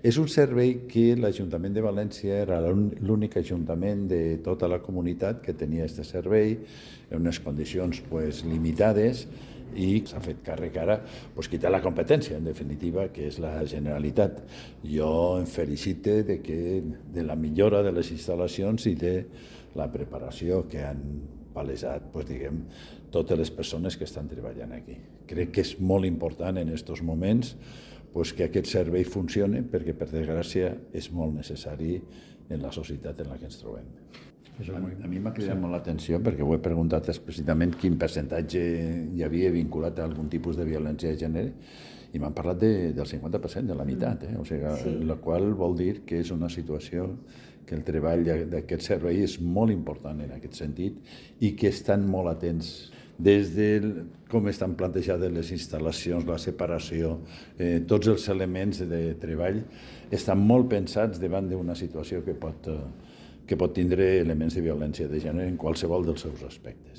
És un servei que l'Ajuntament de València era l'únic ajuntament de tota la comunitat que tenia aquest servei en unes condicions limitades, i s'ha fet càrrec ara qui té la competència, en definitiva, que és la Generalitat. Jo em felicite de la millora de les instal·lacions i de la preparació que han palesat totes les persones que estan treballant aquí. Crec que és molt important en aquests moments que aquest servei funcioni, perquè, per desgràcia, és molt necessari en la societat en la que ens trobem. A mi m'ha cridat molt l'atenció perquè ho he preguntat explícitament quin percentatge hi havia vinculat a algun tipus de violència de gènere i m'han parlat del 50%, de la meitat, la qual vol dir que és una situació que el treball d'aquest servei és molt important en aquest sentit i que estan molt atents des de com estan plantejades les instal·lacions, la separació, tots els elements de treball estan molt pensats davant d'una situació que pot tindre elements de violència de gènere en qualsevol dels seus aspectes.